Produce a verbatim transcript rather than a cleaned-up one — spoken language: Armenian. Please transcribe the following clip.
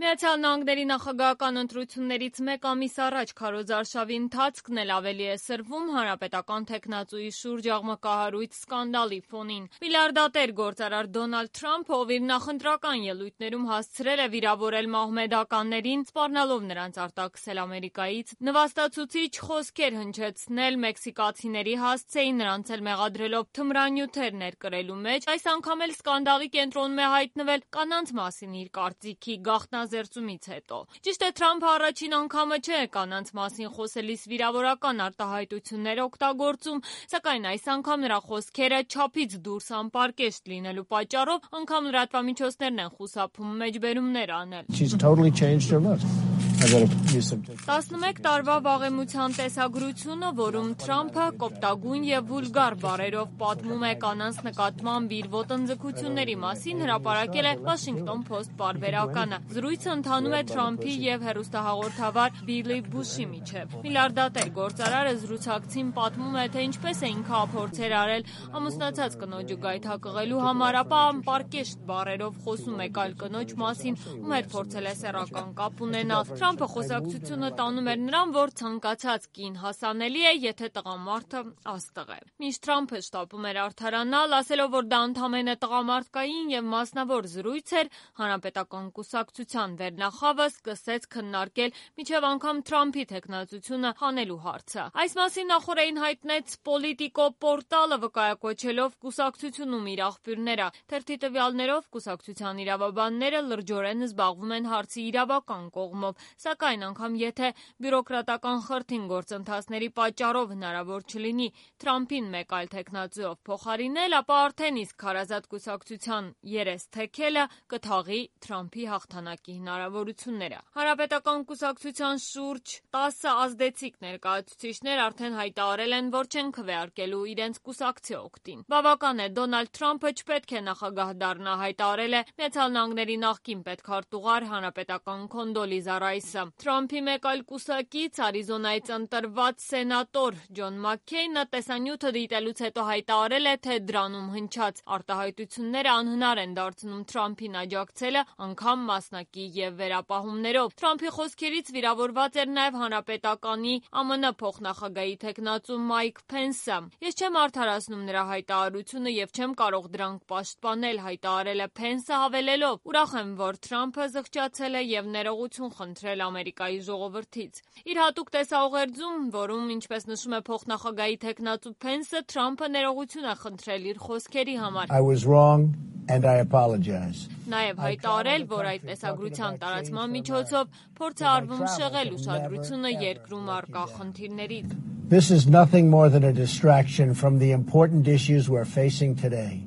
Միացյալ Նահանգների նախագահական ընտրություններից մեկ ամիս առաջ քարոզարշավի ընթացքն էլ ավելի է սրվում հանրապետական թեկնածուի շուրջ աղմկահարույց սկանդալի ֆոնին։ Միլիարդատեր գործարար Դոնալդ Թրամփը, ով իր նախընտրական ելույթներում հասցրել է վիրավորել մահմեդականներին, սպառնալով նրանց արտաքսել Ամերիկայից, նվաստացուցիչ խոսքեր հնչեցնել մեքսիկացիների հասցեին, նրանց էլ մեղադրելով թմրանյութեր ներկրելու մեջ, այս անգամ էլ սկանդալի կենտրոնում է հայտնվել կանանց մասին իր կարծիքի գաղտնազերծումից հետո։ Ճիշտ է, Թրամփը առաջին անգամը չէ կանանց մասին խոսելիս վիրավորական արտահայտություններ օգտագործում, սակայն այս անգամ նրա խոսքերը չափից դուրս անպարկեշտ լինելու պատճառով անգամ լրատվամիջոցներն են խուսափում մեջբերումներ անել։ տասնմեկ տարվա վաղեմության տեսագրությունը, որում Թրամփը կոպտագույն և վուլգար բառերով պատմում է կանանց նկատմամբ իր ոտնձգությունների մասին, հրապարակել է Washington Post պարբերականը։ Զրույցը ընթանում է Թրամփի և հեռուստահաղորդավար Բիլի Բուշի միջև։ Միլիարդատեր գործարարը զրուցակցին պատմում է, թե ինչպես է ինքը փորձեր արել ամուսնացած կնոջը գայթակղելու համար, ապա անպարկեշտ բառերով խոսում է այլ կնոջ մասին, ում հետ փորձել է սեռական կապ ունենալ։ Թրամփը խոսակցությունը տանում էր նրան, որ ցանկացած կին հասանելի է, եթե տղամարդը աստղ է։ Մինչ Թրամփը շտապում էր արդարանալ, ասելով, որ դա ընդամենը տղամարդկային և մասնավոր զրույց էր, հանրապետական կուսակցության վերնախավը սկսեց քննարկել մինչև անգամ Թրամփի թեկնածությունը հանելու հարցը։ Այս մասին նախօրեին հայտնեց Պոլիտիկո պորտալը, վկայակոչելով կուսակցությունում իր աղբյուրները։ Թերթի տվյալներով կուսակցության իրավաբանները լրջորեն զբաղվում են հարցի իրավական կողմով, սակայն անգամ եթե բյուրոկրատական խրթին գործընթացների պատճառով հնարավոր չլինի Թրամփին մեկ այլ թեկնածուով փոխարինել, ապա արդեն իսկ քարազատ կուսակցության երես թեքելը կթաղի Թրամփի հաղթանակի հնարավորությունները։ Հանրապետական կուսակցության շուրջ տասը ազդեցիկ ներկայացուցիչներ արդեն հայտարարել են, որ չեն քվեարկելու իրենց կուսակցի օգտին։ Բավական է, Դոնալդ Թրամփը չպետք է նախագահ դառնա, հայտարարել է Միացյալ Նահանգների նախկին պետքարտուղար հանրապետական Քոնդոլիզա Ռայսը։ Թրամփի մեկ այլ կուսակից, Արիզոնայից ընտրված սենատոր Ջոն Մաքքեյնը տեսանյութը դիտելուց հետո հայտարարել է, թե դրանում հնչած արտահայտությունները անհնար են դարձնում Թրամփին աջակցելը, անգամ մասնակի և վերապահումներով։ Թրամփի խոսքերից վիրավորված էր նաև հանրապետականի ԱՄՆ փոխնախագահի թեկնածու Մայք Փենսը։ Ես չեմ արդարացնում նրա հայտարարությունը և չեմ կարող դրանք պաշտպանել, հայտարարել է Փենսը, հավելելով. ուրախ եմ, որ Թրամփը զղջացել է և ներողություն խնդրել Ամերիկայի ժողովրդից։ Իր հատուկ տեսաուղերձում, որում, ինչպես նշում է փոխնախագահի թեկնածու Փենսը, Թրամփը ներողություն է խնդրել իր խոսքերի համար։ Նաև հայտարարել, որ այդ տեսագրության տարածման միջոցով փորձ է արվում շեղել ուշադրությունը երկրում առկա խնդիրներից։ This is nothing more than a distraction from the important issues we're facing today.